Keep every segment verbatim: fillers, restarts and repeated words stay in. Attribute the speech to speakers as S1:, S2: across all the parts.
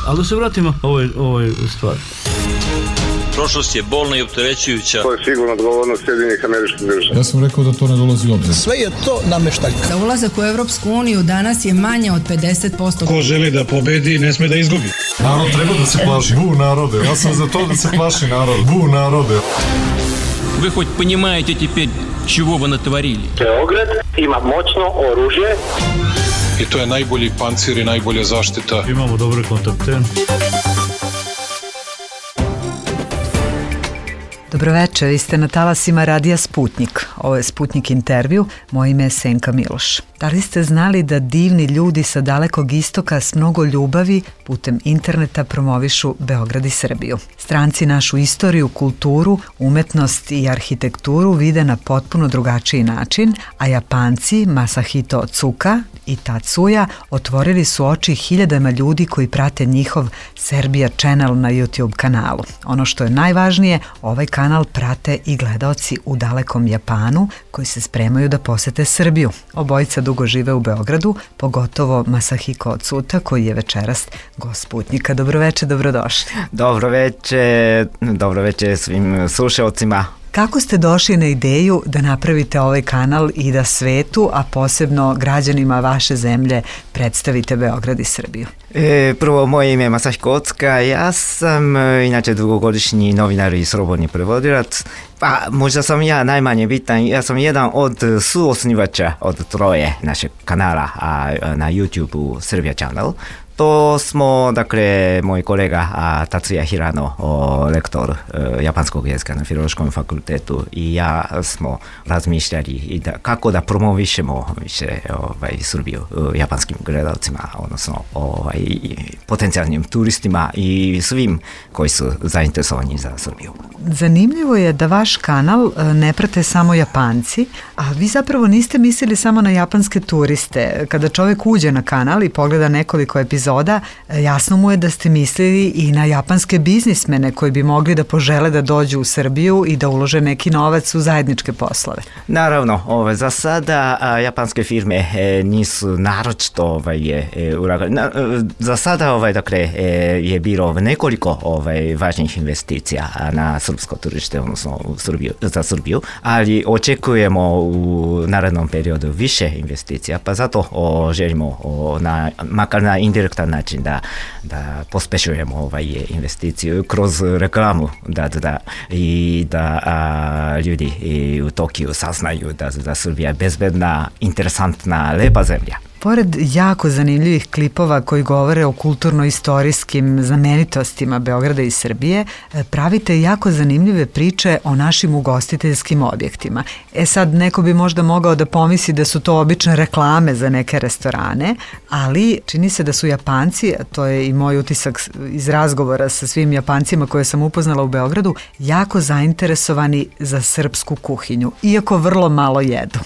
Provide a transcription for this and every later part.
S1: Ali da se vratimo ovoj, ovoj stvari.
S2: Prošlost je bolna i opterećujuća.
S3: To je sigurno odgovornost Sjedinjenih Američkih Država.
S4: Ja sam rekao da to ne dolazi u obzir.
S5: Sve je to nameštaljka.
S6: Za ulazak u Evropsku uniju danas je manje od pedeset posto.
S7: Ko želi da pobedi, ne sme da izgubi.
S4: Narod treba da se plaši. Bu narode. Ja sam za to da se plaši narod. Bu narode.
S8: Вы хоть понимаете теперь, чего вы натворили?
S9: Beograd ima moćno oružje.
S7: I to je najbolji pancir i najbolja zaštita.
S1: Imamo dobre kontakte.
S10: Dobroveče, vi ste na talasima Radija Sputnik. Ovo je Sputnik intervju, moje ime je Senka Miloš. Da li ste znali da divni ljudi sa dalekog istoka s mnogo ljubavi putem interneta promovišu Beograd i Srbiju? Stranci našu istoriju, kulturu, umetnost i arhitekturu vide na potpuno drugačiji način, a Japanci Masahito Otsuka i Tatsuya otvorili su oči hiljadama ljudi koji prate njihov Serbia Channel na YouTube kanalu. Ono što je najvažnije, ovaj kanal prate i gledaoci u dalekom Japanu koji se spremaju da posete Srbiju. Obojica dugo žive u Beogradu, pogotovo Masahiko Otsuta koji je večeras gost Sputnika. Dobroveče, dobrodošli.
S11: Dobroveče, dobroveče svim slušalcima.
S10: Kako ste došli na ideju da napravite ovaj kanal i da svetu, a posebno građanima vaše zemlje, predstavite Beograd i Srbiju?
S11: E, prvo, moje ime je Masahiko Otsuka, ja sam inače dugogodišnji novinar i slobodni prevodilac, pa možda sam ja najmanje bitan, ja sam jedan od suosnivača od troje našeg kanala a, na YouTube Serbia Channel. To smo, dakle, moj kolega a, Tatsuya Hirano, o, lektor e, japanskog jezika na Filološkom fakultetu i ja smo razmišljali i da, kako da promovišemo više ovaj, Srbiju e, japanskim gledalcima, odnosno ovaj, potencijalnim turistima i svim koji su zainteresovani za Srbiju.
S10: Zanimljivo je da vaš kanal ne prate samo Japanci, a vi zapravo niste mislili samo na japanske turiste. Kada čovjek uđe na kanal i pogleda nekoliko epizoda, jasno mu je da ste mislili i na japanske biznismene koji bi mogli da požele da dođu u Srbiju i da ulože neki novac u zajedničke poslove.
S11: Naravno, ovaj, za sada a, japanske firme e, nisu naročito ovaj, e, ulagali. Na, za sada ovaj, dakle, e, je bilo nekoliko ovaj, važnih investicija na srpsko tržište, odnosno u Srbiju, za Srbiju, ali očekujemo u narednom periodu više investicija, pa zato o, želimo o, na, makar na indirektan način da, da pospešujemo ovaj investiciju kroz reklamu da, da, i da a, ljudi i u Tokiju saznaju da, da Srbija je bezbedna, interesantna, lepa zemlja.
S10: Pored jako zanimljivih klipova koji govore o kulturno-istorijskim znamenitostima Beograda i Srbije, pravite jako zanimljive priče o našim ugostiteljskim objektima. E sad, neko bi možda mogao da pomisli da su to obične reklame za neke restorane, ali čini se da su Japanci, a to je i moj utisak iz razgovora sa svim Japancima koje sam upoznala u Beogradu, jako zainteresovani za srpsku kuhinju, iako vrlo malo jedu.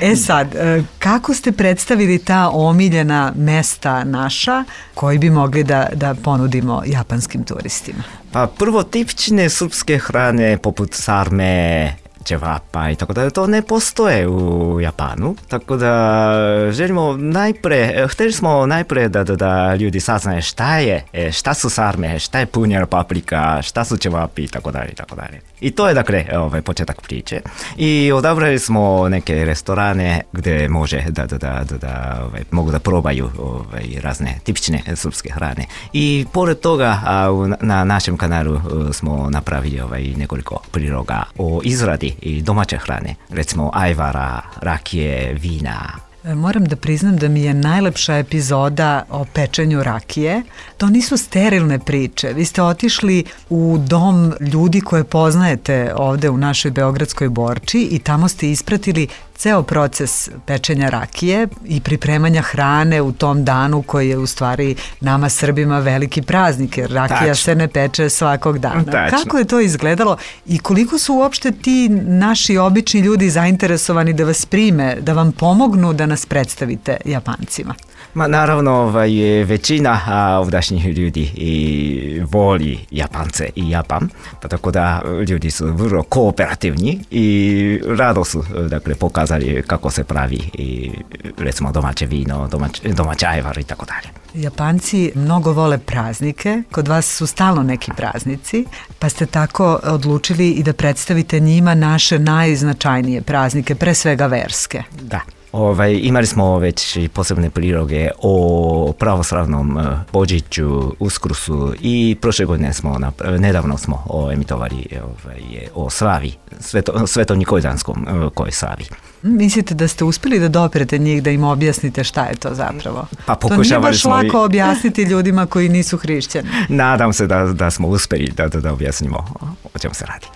S10: E sad, kako ste predstavili predstavili ta omiljena mesta naša koji bi mogli da, da ponudimo japanskim turistima?
S11: Pa prvo, tipične srpske hrane poput sarme, ćevapa i tako da to ne postoje u Japanu, tako da želimo najpre, htjeli smo najpre da, da, da ljudi saznaju šta je, šta su sarme, šta je punjena paprika, šta su ćevapi i tako dalje i tako dalje. I to je dakle ovaj početak priče. I odabrali smo neke restorane gdje može da, da, da, da, da ovaj, mogu da probaju ovaj, razne tipične srpske hrane. I pored toga a, na našem kanalu smo napravili ovaj, nekoliko priloga o izradi i domaće hrane, recimo ajvara, rakije, vina.
S10: Moram da priznam da mi je najlepša epizoda o pečenju rakije. To nisu sterilne priče. Vi ste otišli u dom ljudi koje poznajete ovde u našoj beogradskoj Borči i tamo ste ispratili ceo proces pečenja rakije i pripremanja hrane u tom danu koji je u stvari nama Srbima veliki praznik, jer rakija Tačno. se ne peče svakog dana.
S11: Tačno.
S10: Kako je to izgledalo i koliko su uopšte ti naši obični ljudi zainteresovani da vas prime, da vam pomognu da nas predstavite Japancima?
S11: Ma naravno ovaj, većina a, ovdašnjih ljudi i voli Japance i Japan, pa tako da ljudi su vrlo kooperativni i rado su dakle, pokazali kako se pravi i, recimo domaće vino, domać, domaća ajvar i tako dalje.
S10: Japanci mnogo vole praznike, kod vas su stalno neki praznici, pa ste tako odlučili i da predstavite njima naše najznačajnije praznike, pre svega verske.
S11: Da. Ovaj, imali smo već posebne priloge o pravoslavnom Božiću, Uskursu i prošle godine smo, nedavno smo emitovali ovaj, o slavi, sveto, svetonikoidanskom koj slavi.
S10: Mislite da ste uspjeli da doprete njih, da im objasnite šta je to zapravo?
S11: Pa
S10: to nije baš
S11: smo
S10: lako
S11: i...
S10: objasniti ljudima koji nisu hrišćani.
S11: Nadam se da, da smo uspjeli da, da, da objasnimo o čemu se radi.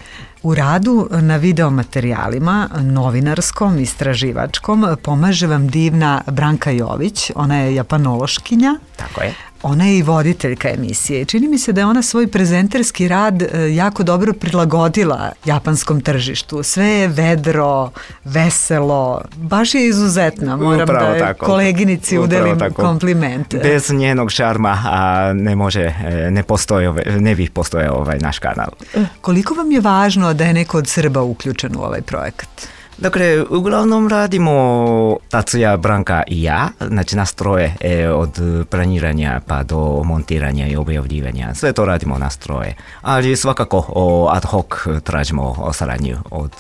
S10: U radu na videomaterijalima, novinarskom, istraživačkom, pomaže vam divna Branka Jović, ona je japanološkinja.
S11: Tako je.
S10: Ona je i voditeljka emisije. Čini mi se da je ona svoj prezenterski rad jako dobro prilagodila japanskom tržištu. Sve je vedro, veselo, baš je izuzetna. Moram
S11: Upravo
S10: da
S11: tako.
S10: koleginici udelim komplimente.
S11: Bez njenog šarma a ne može, ne postoje, ne bi postojao ovaj naš kanal.
S10: Koliko vam je važno da je neko od Srba uključen u ovaj projekat?
S11: Dakle, uglavnom radimo Tatsuya, Branka i ja, znači nas troje e, od planiranja pa do montiranja i objavljivanja, sve to radimo nas troje, ali svakako o, ad hoc tražimo o saradnju od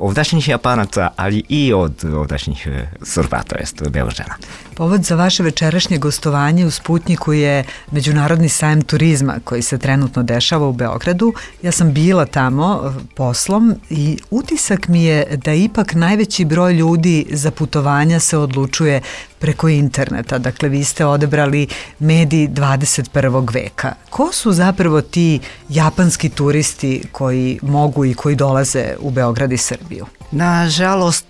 S11: ovdašnjih Japanaca, ali i od ovdašnjih Srba, to jest Beograđana.
S10: Povod za vaše večerašnje gostovanje u Sputnjiku je Međunarodni sajam turizma koji se trenutno dešava u Beogradu. Ja sam bila tamo poslom i utisak mi je da ipak najveći broj ljudi za putovanja se odlučuje preko interneta. Dakle, vi ste odebrali medij dvadeset prvog veka. Ko su zapravo ti japanski turisti koji mogu i koji dolaze u Beograd i Srbiju?
S11: Nažalost,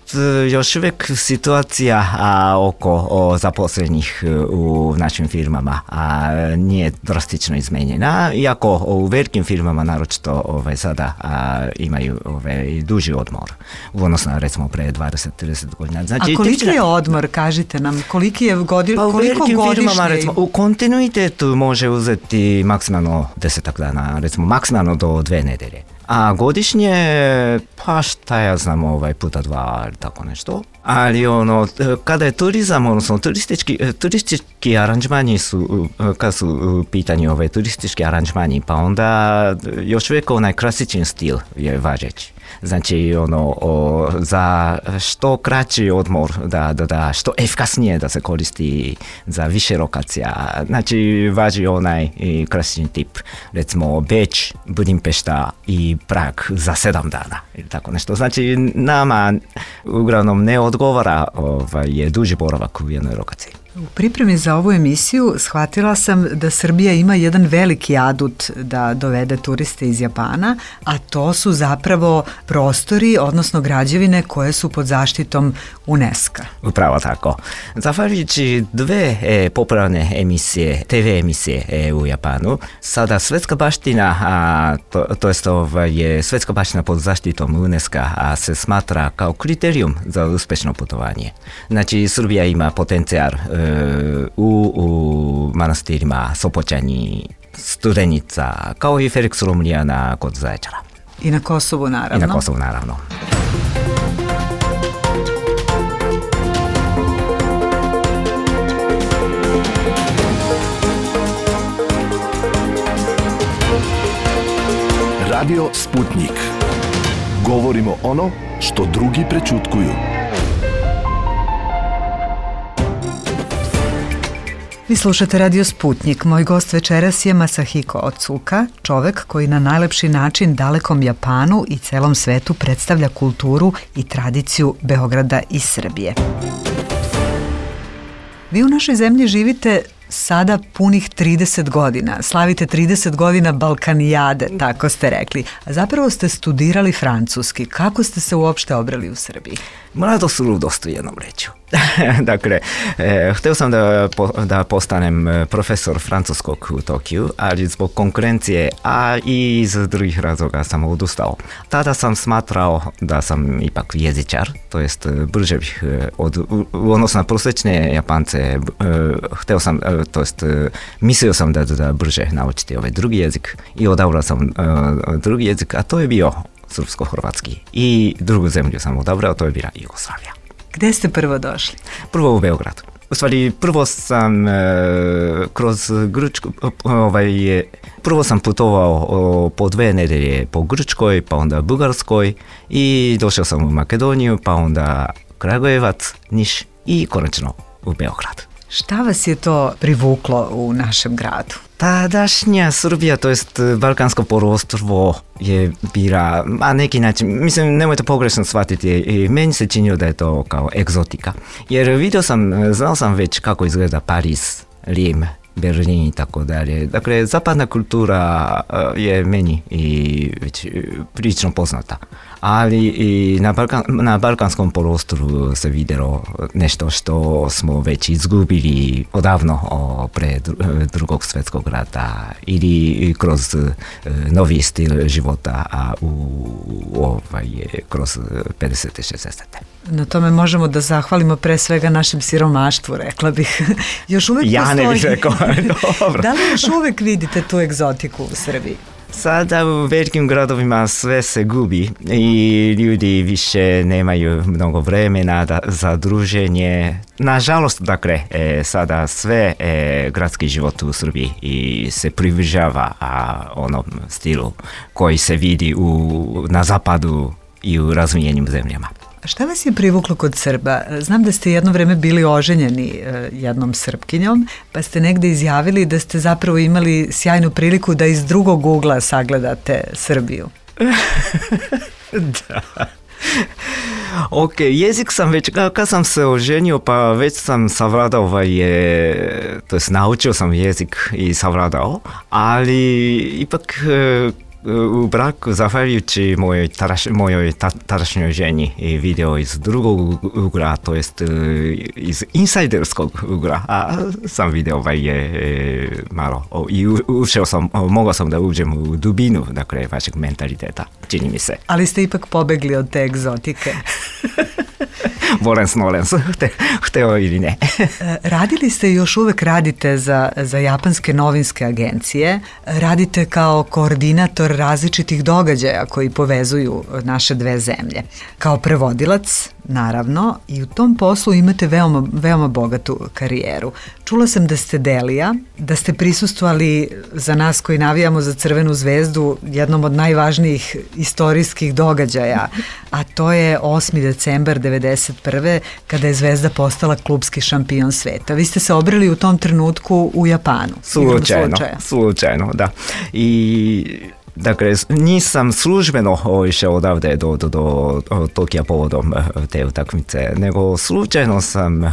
S11: još uvijek situacija a, oko o, zaposlenih u našim firmama a, nije drastično izmenjena, iako u velikim firmama naročito ovaj, sada a, imaju ovaj, duži odmor u odnosu na recimo pre dvadeset do trideset godina. Znači,
S10: a koliki je odmor, kažite nam, koliki je godi,
S11: pa
S10: koliko godišnje?
S11: Firmama, recimo, u kontinuitetu može uzeti maksimalno desetak dana, recimo maksimalno do dve nedelje. A godišnje, pa šta ja znam, ovaj puta dva ili tako nešto. Ali ono, kada je turizam, odnosno turistički, turistički aranžmani su, kada su u pitanju ovaj turistički aranžmani, pa onda još uvijek onaj klasični stil je važeći. Znači, ono, o, za što kraći odmor, da, da, da, što efikasnije da se koristi za više lokacija. Znači, važi onaj klasični tip, recimo Beč, Budimpešta i Prag za sedam dana ili tako nešto. Znači, nama uglavnom ne odgovara ovaj, je duži boravak u jednoj lokaciji.
S10: U pripremi za ovu emisiju shvatila sam da Srbija ima jedan veliki adut da dovede turiste iz Japana, a to su zapravo prostori, odnosno građevine koje su pod zaštitom UNESCO.
S11: Upravo tako. Zahvaljujući dve e, popularne emisije, te ve emisije e, u Japanu, sada svetska baština, a, to, to jest ovaj, svetska baština pod zaštitom UNESCO se smatra kao kriterijum za uspješno putovanje. Znači, Srbija ima potencijal e, U, u manastirima Sopoćani, Studenica, kao i Felix Romlijana kod Zaječara.
S10: I na Kosovu naravno.
S11: I na Kosovu naravno.
S5: Radio Sputnik. Govorimo ono što drugi prećutkuju.
S10: Vi slušate Radio Sputnik. Moj gost večeras je Masahiko Otsuka, čovek koji na najlepši način dalekom Japanu i celom svetu predstavlja kulturu i tradiciju Beograda i Srbije. Vi u našoj zemlji živite sada punih trideset godina. Slavite trideset godina Balkanijade, tako ste rekli. A zapravo ste studirali francuski. Kako ste se uopšte obrali u Srbiji?
S11: Mladost ludost u jednom rečju. dakle, e, htio sam da, po, da postanem profesor francuskog u Tokiju, ali zbog konkurencije, a i iz drugih razloga sam odustao. Tada sam smatrao da sam ipak jezičar, to jest brže bih od, u, odnosno na prosječne Japance, e, htio sam, e, to jest mislio sam da, da brže naučiti ovaj drugi jezik i odabrao sam e, drugi jezik, a to je bio srpsko-hrvatski. I drugu zemlju sam odabrao, to je bila Jugoslavija.
S10: Gde ste prvo došli?
S11: Prvo u Beograd. U stvari, prvo sam e, kroz Grčku, ovaj, prvo sam putovao o, po dve nedelje po Grčkoj, pa onda Bugarskoj i došao sam u Makedoniju, pa onda Kragujevac, Niš i konačno u Beograd.
S10: Šta vas je to privuklo u našem gradu?
S11: Tadašnja Srbija, to jest Balkansko poluostrvo je bila, na neki način, mislim, nemojte pogrešno shvatiti, i meni se činilo da je to kao egzotika. Jer vidio sam, znao sam već kako izgleda Pariz, Rim, Berlin i tako dalje. Dakle, zapadna kultura je meni i već prilično poznata. Ali i na, Balkan, na Balkanskom poluostrvu se vidjelo nešto što smo već izgubili odavno o, pre drugog svjetskog rata ili kroz novi stil života a u, ovaj, kroz pedesete šezdesete.
S10: Na tome možemo da zahvalimo pre svega našem siromaštvu, rekla bih. Još uvek
S11: ja
S10: postoji.
S11: Ne bih rekao, dobro.
S10: Da li još uvek vidite tu egzotiku u Srbiji?
S11: Sada u velikim gradovima sve se gubi i ljudi više nemaju mnogo vremena da, za druženje. Nažalost, dakle, e, sada sve e, gradski život u Srbiji i se približava a, onom stilu koji se vidi u, na zapadu i u razvijenim zemljama.
S10: Šta vas je privuklo kod Srba? Znam da ste jedno vreme bili oženjeni jednom Srpkinjom, pa ste negde izjavili da ste zapravo imali sjajnu priliku da iz drugog ugla sagledate Srbiju.
S11: Da. Ok, jezik sam već, kad sam se oženio, pa već sam savladao ovaj, to jest naučio sam jezik i savladao, ali ipak u braku, zahvaljujući mojoj, taraš, mojoj ta, tadašnjoj ženi i video iz drugog ugla, to jest iz insajderskog ugla, a sam video ovaj je malo o, i ušao sam, o, mogao sam da uđem u dubinu, dakle, vašeg mentaliteta, čini mi se.
S10: Ali ste ipak pobegli od te egzotike.
S11: Volens nolens, hteo ili ne.
S10: Radili ste i još uvek radite za, za japanske novinske agencije, radite kao koordinator različitih događaja koji povezuju naše dve zemlje. Kao prevodilac, naravno, i u tom poslu imate veoma, veoma bogatu karijeru. Čula sam da ste Delija, da ste prisustvovali za nas koji navijamo za Crvenu zvezdu jednom od najvažnijih istorijskih događaja, a to je osmi decembar devedeset prve kada je Zvezda postala klubski šampion sveta. Vi ste se obrili u tom trenutku u Japanu.
S11: Slučajno, slučajno, da. I dakle, nisam službeno išao odavde do, do, do Tokija povodom te utakmice, nego slučajno sam uh,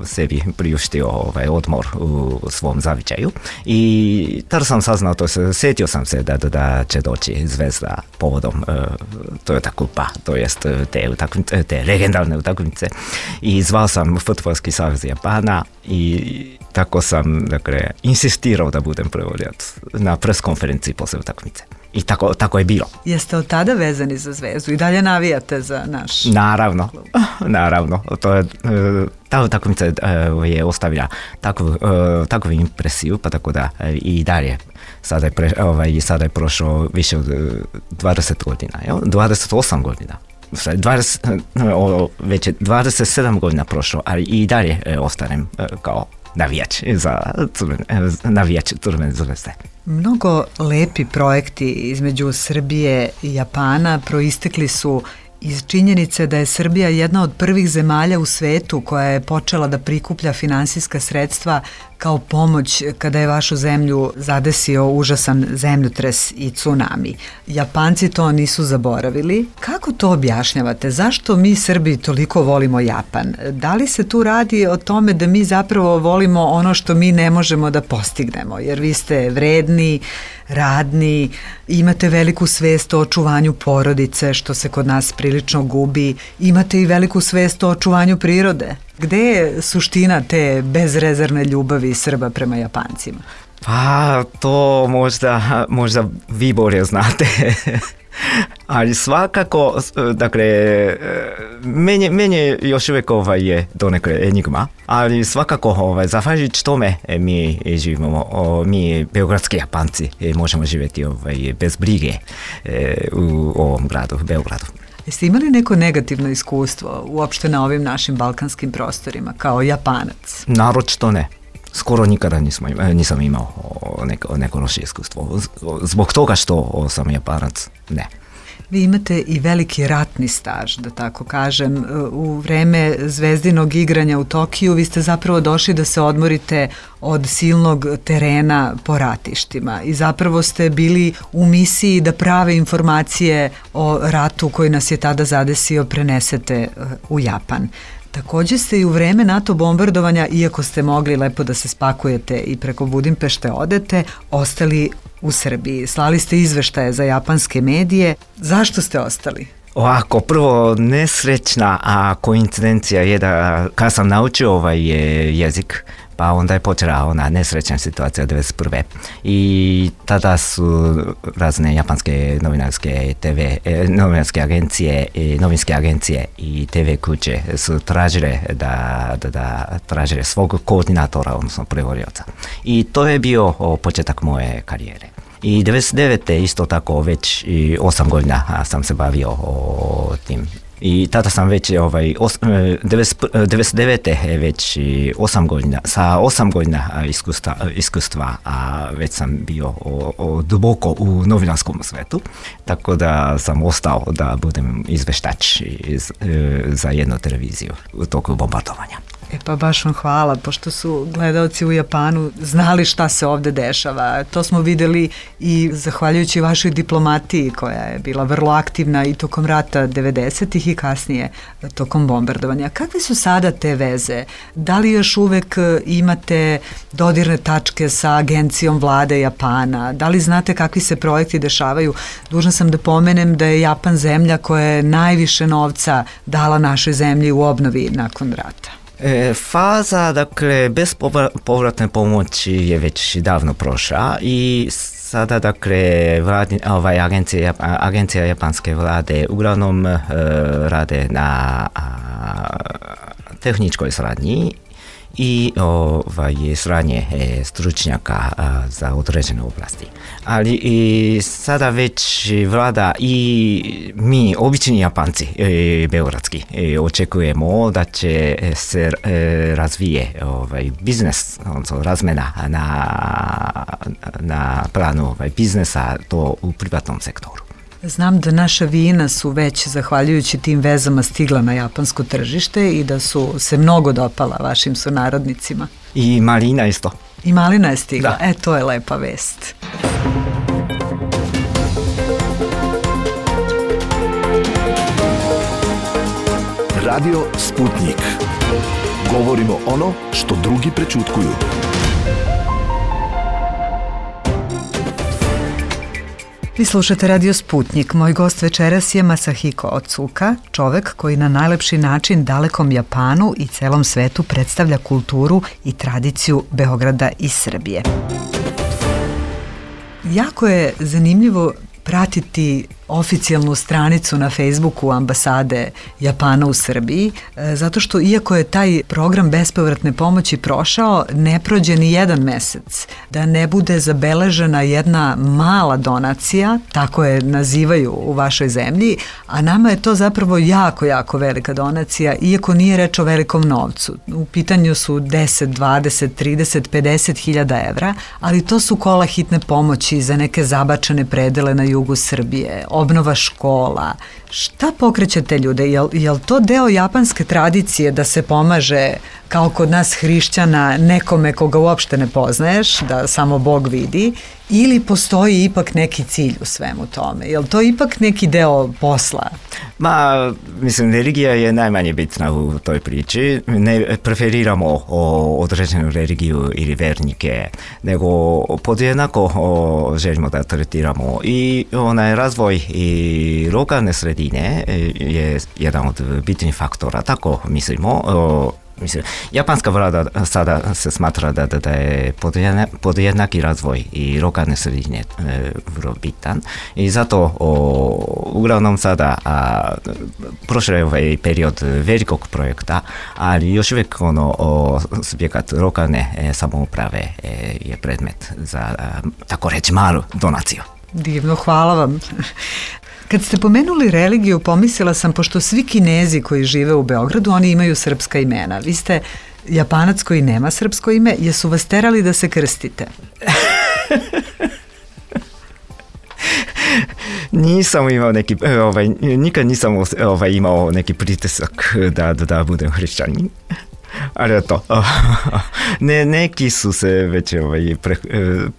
S11: sebi priuštio ovaj odmor u svom zavičaju i tada sam saznao, to se, sjetio sam se da, da, da će doći Zvezda povodom uh, Toyota Kupa, to jest te, utakmice, te legendarne utakmice i zvao sam Fudbalski savez Japana i tako sam, dakle, insistirao da budem prevodilac na preskonferenciji posle utakmice. I tako, tako je bilo.
S10: Jeste od tada vezani za Zvezdu i dalje navijate za naš
S11: Naravno, klub? Naravno. To je, ta utakmica je ostavila takvu, takvu impresiju, pa tako da i dalje. Sada je, pre, ovaj, sada je prošlo više od dvadeset godina, jel? dvadeset osam godina. dvadeset, već je dvadeset sedam godina prošlo, ali i dalje ostanem kao navijač za crvene, navijač Crvene zvezde.
S10: Mnogo lepi projekti između Srbije i Japana proistekli su iz činjenice da je Srbija jedna od prvih zemalja u svetu koja je počela da prikuplja finansijska sredstva kao pomoć kada je vašu zemlju zadesio užasan zemljotres i tsunami. Japanci to nisu zaboravili. Kako to objašnjavate? Zašto mi Srbi toliko volimo Japan? Da li se tu radi o tome da mi zapravo volimo ono što mi ne možemo da postignemo? Jer vi ste vredni, radni, imate veliku svest o očuvanju porodice, što se kod nas prilično gubi, imate i veliku svest o očuvanju prirode. Gde je suština te bezrezervne ljubavi Srba prema Japancima?
S11: Pa to možda, možda vi bolje znate. Ali svakako, dakle, meni, meni još uvijek ovaj je donekle enigma, ali svakako ovaj, zahvaljujući tome mi živimo, mi beogradski Japanci možemo živjeti ovaj, bez brige u ovom gradu, Beogradu.
S10: Jeste imali neko negativno iskustvo uopšte na ovim našim balkanskim prostorima kao Japanac?
S11: Naročito ne. Skoro nikada nisam, nisam imao neko, neko loše iskustvo. Zbog toga što sam Japanac, ne.
S10: Vi imate i veliki ratni staž, da tako kažem. U vreme zvezdinog igranja u Tokiju vi ste zapravo došli da se odmorite od silnog terena po ratištima i zapravo ste bili u misiji da prave informacije o ratu koji nas je tada zadesio prenesete u Japan. Također ste i u vreme NATO bombardovanja, iako ste mogli lepo da se spakujete i preko Budimpešte odete, ostali u Srbiji. Slali ste izveštaje za japanske medije. Zašto ste ostali?
S11: Ovako, prvo nesrećna a koincidencija je da kad sam naučio ovaj jezik, pa onda je počela ona nesrećna situacija devedeset prve. I tada su razne japanske novinarske te ve, novinarske agencije, novinske agencije i te ve kuće su tražile da, da, da tražile svog koordinatora, odnosno prevodioca. I to je bio početak moje karijere. I devedeset devete isto tako već i osam godina sam se bavio o tim. I tada sam već ovaj, os, devedeset devete već osam godina, sa osam godina iskustva, iskustva a već sam bio o, o, duboko u novinarskom svetu, tako da sam ostao da budem izveštač iz, za jednu televiziju u toku bombardovanja.
S10: E pa baš vam hvala, pošto su gledaoci u Japanu znali šta se ovde dešava. To smo videli i zahvaljujući vašoj diplomatiji koja je bila vrlo aktivna i tokom rata devedesetih i kasnije tokom bombardovanja. Kakve su sada te veze? Da li još uvek imate dodirne tačke sa agencijom vlade Japana? Da li znate kakvi se projekti dešavaju? Dužna sam da pomenem da je Japan zemlja koja je najviše novca dala našoj zemlji u obnovi nakon rata.
S11: E, faza, dakle, bez povratne pomoći je već davno prošla i sada, dakle, vladi, ovaj, agencija, agencija japanske vlade uglavnom e, rade na a, tehničkoj saradnji i ovaj, sranje e, stručnjaka a, za određene oblasti. Ali i sada već vlada i mi, obični Japanci, e, beogradski, e, očekujemo da će se e, razvije ovaj, biznes, odnosno razmena na, na planu ovaj, biznesa to u privatnom sektoru.
S10: Znam da naša vina su već, zahvaljujući tim vezama, stigla na japansko tržište i da su se mnogo dopala vašim sunarodnicima.
S11: I malina isto.
S10: I malina je stigla.
S11: Da.
S10: E, to je lepa vest.
S5: Radio Sputnik. Govorimo ono što drugi prećutkuju.
S10: Vi slušate Radio Sputnik. Moj gost večeras je Masahiko Otsuka, čovek koji na najlepši način dalekom Japanu i celom svetu predstavlja kulturu i tradiciju Beograda i Srbije. Jako je zanimljivo pratiti oficijalnu stranicu na Facebooku ambasade Japana u Srbiji, zato što iako je taj program bespovratne pomoći prošao, ne prođe ni jedan mesec da ne bude zabeležena jedna mala donacija, tako je nazivaju u vašoj zemlji, a nama je to zapravo jako, jako velika donacija, iako nije reč o velikom novcu. U pitanju su deset, dvadeset, trideset, pedeset hiljada evra, ali to su kola hitne pomoći za neke zabačene predele na jugu Srbije, obnova škola. Šta pokreće te ljude? Jel, jel to deo japanske tradicije da se pomaže kao kod nas hrišćana nekome koga uopšte ne poznaješ, da samo Bog vidi, ili postoji ipak neki cilj u svemu tome? Je li to ipak neki deo posla?
S11: Ma, mislim, religija je najmanje bitna u toj priči. Ne preferiramo o, određenu religiju ili vernike, nego podjednako o, želimo da tretiramo i onaj razvoj i lokalne sredine je jedan od bitnih faktora, tako mislimo. O, Mislim, japanska vlada sada se smatra da, da, da je podjednaki razvoj i lokalne sredine e, vrlo bitan i zato o, uglavnom sada a, prošao je ovaj period velikog projekta, ali još uvijek ono, o, subjekat lokalne e, samouprave e, je predmet za a, tako reći malu donaciju.
S10: Divno, hvala vam. Kad ste pomenuli religiju, pomislila sam, pošto svi Kinezi koji žive u Beogradu, oni imaju srpska imena. Vi ste Japanac koji nema srpsko ime, jesu vas terali da se krstite?
S11: Nisam imao neki, ovaj, nikad nisam ovaj, imao neki pritisak da, da, da budem hrišćanin. Ali to, ne, neki su se već ovaj, pre,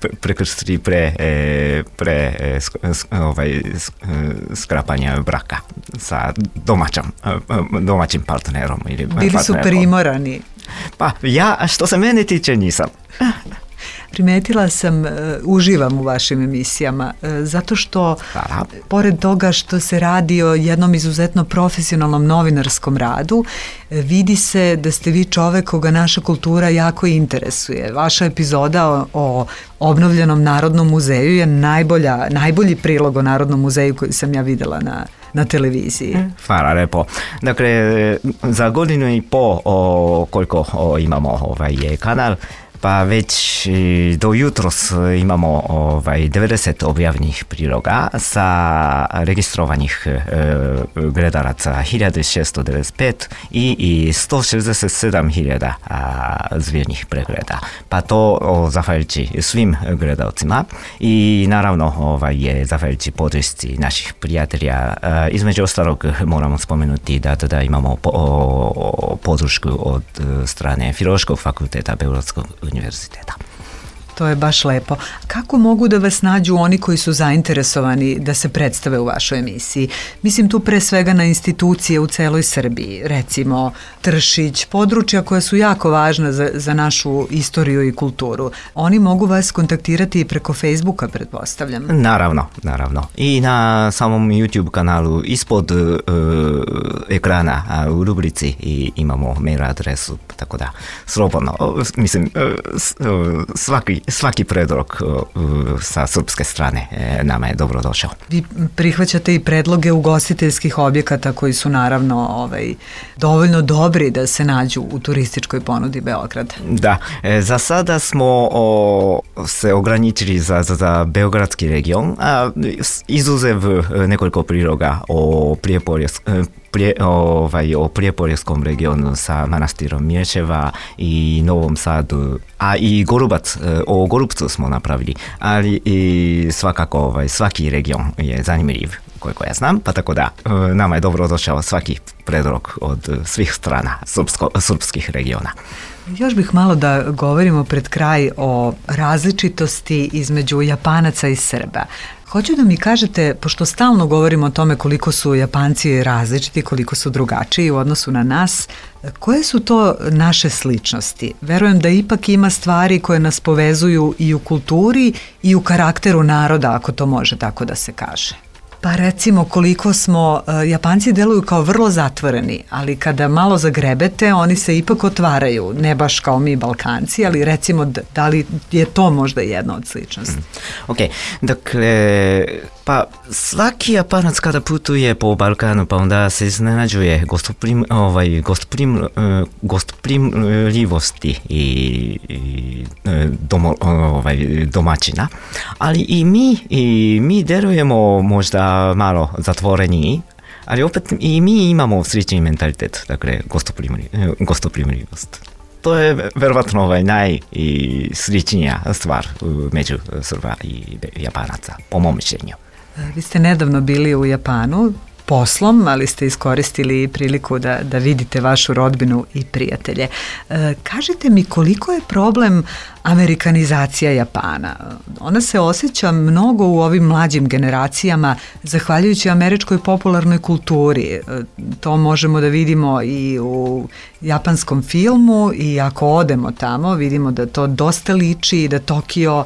S11: pre, prekrstili pre, pre ovaj, skrapanja braka sa domaćom, domaćim partnerom. Ili
S10: Bili partnerom. Su primorani.
S11: Pa ja, što se mene tiče, nisam.
S10: Primetila sam, uh, uživam u vašim emisijama, uh, zato što, da. Pored toga što se radi o jednom izuzetno profesionalnom novinarskom radu, uh, vidi se da ste vi čovek koga naša kultura jako interesuje. Vaša epizoda o, o obnovljenom Narodnom muzeju je najbolja, najbolji prilog o Narodnom muzeju koji sam ja videla na na televiziji.
S11: Hvala lepo. Dakle, za godinu i po o, koliko o, imamo ovaj kanal, pa već do jutros imamo ovaj, devedeset objavljenih priloga sa registrovanih e, gledalaca hiljadu šesto devedeset pet i, i sto šezdeset sedam hiljada zvirnih pregleda. Pa to o, zahvaljujući svim gledalcima i naravno ovaj, je zahvaljujući podršci naših prijatelja. E, između ostalog moramo spomenuti da, da imamo po, o, podršku od strane Filološkog fakulteta Beogradskog univerziteta.
S10: To je baš lepo. Kako mogu da vas nađu oni koji su zainteresovani da se predstave u vašoj emisiji? Mislim tu pre svega na institucije u celoj Srbiji, recimo Tršić, područja koja su jako važna za, za našu istoriju i kulturu. Oni mogu vas kontaktirati i preko Facebooka, pretpostavljam.
S11: Naravno, naravno. I na samom YouTube kanalu ispod uh, ekrana uh, u rubrici i imamo mail adresu, tako da slobodno, uh, mislim, uh, svaki Svaki predlog uh, sa srpske strane e, nama je dobro došao.
S10: Vi prihvaćate i predloge ugostiteljskih objekata koji su naravno ovaj, dovoljno dobri da se nađu u turističkoj ponudi Beograda.
S11: Da, e, za sada smo o, se ograničili za, za, za beogradski region, a izuzev nekoliko priloga o Prijepolju, Prije, ovaj, o Prijepoljskom regionu sa manastirom Mječeva i Novom Sadu, a i Gorubac, o Gorubcu smo napravili, ali i svakako ovaj, svaki region je zanimljiv koliko ja znam, pa tako da nama je dobro došao svaki predlog od svih strana srpsko, srpskih regiona.
S10: Još bih malo da govorimo pred kraj o različitosti između Japanaca i Srba. Hoću da mi kažete, pošto stalno govorimo o tome koliko su Japanci različiti, koliko su drugačiji u odnosu na nas, koje su to naše sličnosti? Verujem da ipak ima stvari koje nas povezuju i u kulturi i u karakteru naroda, ako to može tako da se kaže. Pa recimo koliko smo, uh, Japanci deluju kao vrlo zatvoreni, ali kada malo zagrebete, oni se ipak otvaraju, ne baš kao mi Balkanci, ali recimo da li je to možda jedna od sličnosti?
S11: Ok, dakle, pa svaki Japanac kada putuje po Balkanu, pa onda se iznenađuje gostoprim, ovaj, gostoprim, uh, gostoprimljivosti i, i domo, ovaj, domaćina, ali i mi, i mi delujemo možda malo zatvoreniji, ali opet i mi imamo slični mentalitet, dakle gostoprimljivost. To je verovatno ovaj najsličnija stvar među Srba i Japanaca, po mom mišljenju.
S10: Vi ste nedavno bili u Japanu, poslom, ali ste iskoristili priliku da, da vidite vašu rodbinu i prijatelje. E, kažite mi koliko je problem amerikanizacija Japana? Ona se osjeća mnogo u ovim mlađim generacijama zahvaljujući američkoj popularnoj kulturi. E, to možemo da vidimo i u japanskom filmu i ako odemo tamo vidimo da to dosta liči i da Tokio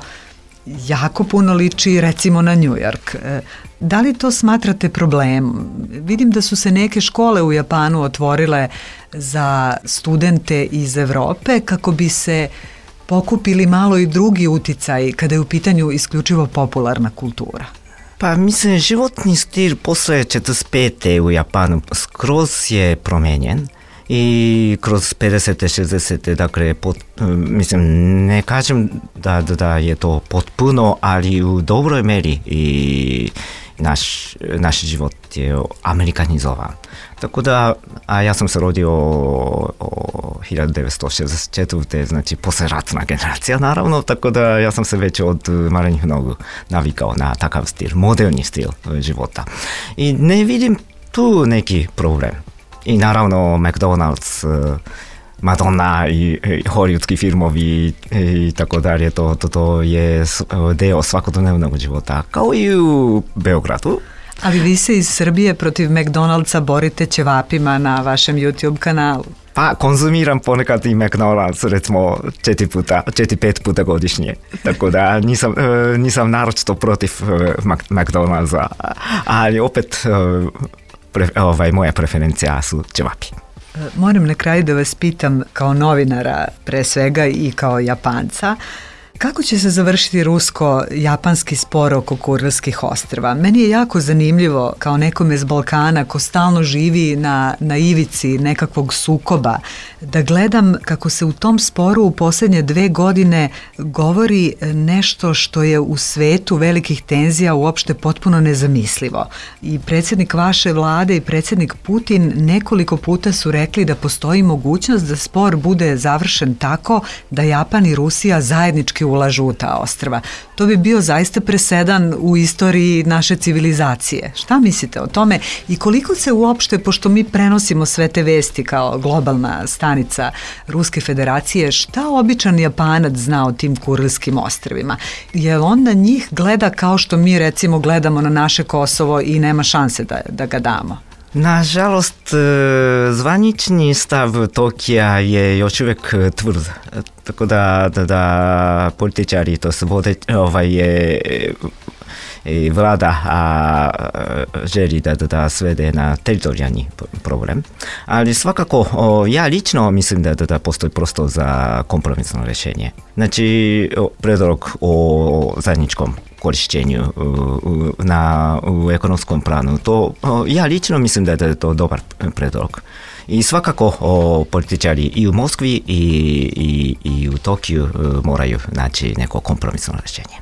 S10: jako puno liči recimo na New York. E, da li to smatrate problemom? Vidim da su se neke škole u Japanu otvorile za studente iz Evrope kako bi se pokupili malo i drugi uticaj kada je u pitanju isključivo popularna kultura.
S11: Pa mislim, životni stil posle četrdeset pete u Japanu skroz je promenjen. I kroz pedesete, šezdesete, dakle, pot, mislim, ne kažem da, da, da je to potpuno, ali u dobroj meri i naš, naš život je amerikanizovan. Tako da, a ja sam se rodio o hiljadu devetsto šezdeset četvrte. znači posleratna generacija naravno, tako da ja sam se već od malenih nogu navikao na takav stil, moderni stil života. I ne vidim tu neki problem. I naravno McDonald's, Madonna i, i hollywoodski filmovi i tako dalje, to, to, to je deo svakodnevnog života, kao i u Beogradu.
S10: Ali vi se iz Srbije protiv McDonald'sa borite ćevapima na vašem YouTube kanalu.
S11: Pa konzumiram ponekad i McDonald's, recimo četiri puta, četiri, pet puta godišnje. Tako da nisam, nisam naročito protiv McDonald'sa, ali opet Pre, ovaj, moja preferencija su ćevapi.
S10: Moram na kraju da vas pitam kao novinara pre svega i kao Japanca, kako će se završiti rusko-japanski spor oko Kurilskih ostrva? Meni je jako zanimljivo kao nekome iz Balkana ko stalno živi na, na ivici nekakvog sukoba, da gledam kako se u tom sporu u posljednje dve godine govori nešto što je u svetu velikih tenzija uopšte potpuno nezamislivo. I predsjednik vaše vlade i predsjednik Putin nekoliko puta su rekli da postoji mogućnost da spor bude završen tako da Japan i Rusija zajednički ulažu u ta ostrva. To bi bio zaista presedan u istoriji naše civilizacije. Šta mislite o tome i koliko se uopšte, pošto mi prenosimo sve te vesti kao globalna stanica Ruske federacije, šta običan Japanac zna o tim Kurilskim ostrvima? Jer on na njih gleda kao što mi recimo gledamo na naše Kosovo i nema šanse da, da ga damo.
S11: Nažalost, zvanični stav Tokija je još uvijek tvrd. Tako da, da, da političari, to se vode, ovaj je i vlada a, želi da, da, da svede na teritorijalni problem. Ali svakako, o, ja lično mislim da, da, da postoji prostor za kompromisno rješenje. Znači, predlog o zajedničkom korišćenju u, na, u ekonomskom planu, to o, ja lično mislim da, da je to dobar predlog. I svakako o, političari i u Moskvi i, i, i u Tokiju o, moraju naći neko kompromisno rješenje.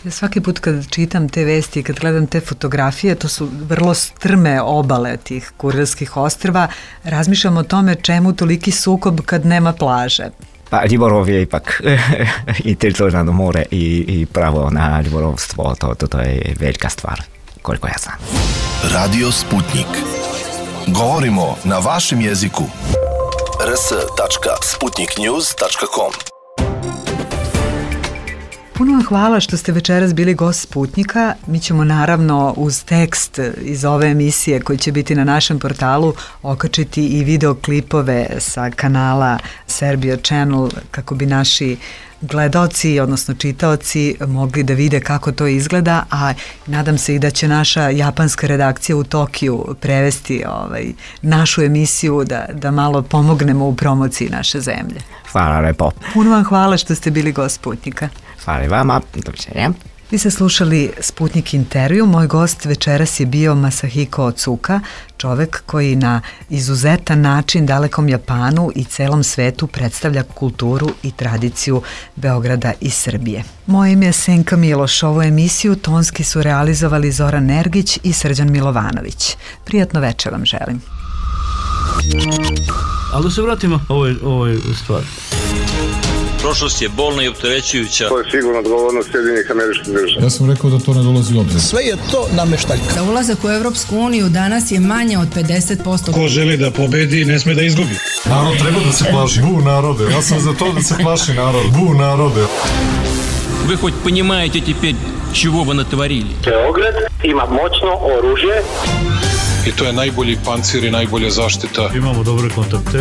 S10: Ja svaki put kad čitam te vesti i kad gledam te fotografije, to su vrlo strme obale tih Kurilskih ostrva, razmišljam o tome čemu toliki sukob kad nema plaže.
S11: Pa ribolov je ipak i teritorijalno more i, i pravo na ribolovstvo, to, to, to je velika stvar, koliko ja znam.
S5: Radio Sputnik. Govorimo na vašem jeziku. r s tačka sputnik news tačka com.
S10: Puno vam hvala što ste večeras bili gost Sputnika. Mi ćemo naravno uz tekst iz ove emisije koji će biti na našem portalu okačiti i videoklipove sa kanala Serbia Channel kako bi naši gledaoci, odnosno čitaoci mogli da vide kako to izgleda, a nadam se i da će naša japanska redakcija u Tokiju prevesti ovaj, našu emisiju da, da malo pomognemo u promociji naše zemlje.
S11: Hvala lepo.
S10: Puno vam hvala što ste bili gost Sputnika.
S11: Hvala vama, doviđenja.
S10: Vi ste slušali Sputnik intervju. Moj gost večeras je bio Masahiko Otsuka, čovek koji na izuzetan način dalekom Japanu i celom svetu predstavlja kulturu i tradiciju Beograda i Srbije. Moje ime je Senka Miloš. Ovu emisiju tonski su realizovali Zoran Nergić i Srđan Milovanović. Prijatno večer vam želim.
S1: Ali da se vratimo ovoj, ovoj stvari.
S2: Prošlost je bolna i opterećujuća.
S3: To je sigurno odgovornost Sjedinjenih Američkih Država.
S4: Ja sam rekao da to ne dolazi u obzir.
S12: Sve je to nameštaljka.
S6: Za ulazak u Europsku uniju danas je manje od pedeset posto.
S13: Ko želi da pobedi, ne sme da izgubi.
S4: Narod treba da se plaši. Bu narode. Ja sam za to da se plaši narod. Bu narode.
S8: Вы хоть понимаете теперь, чего вы натворили?
S9: Beograd ima moćno oružje.
S7: I to je najbolji pancir i najbolja zaštita.
S1: Imamo dobre kontakte.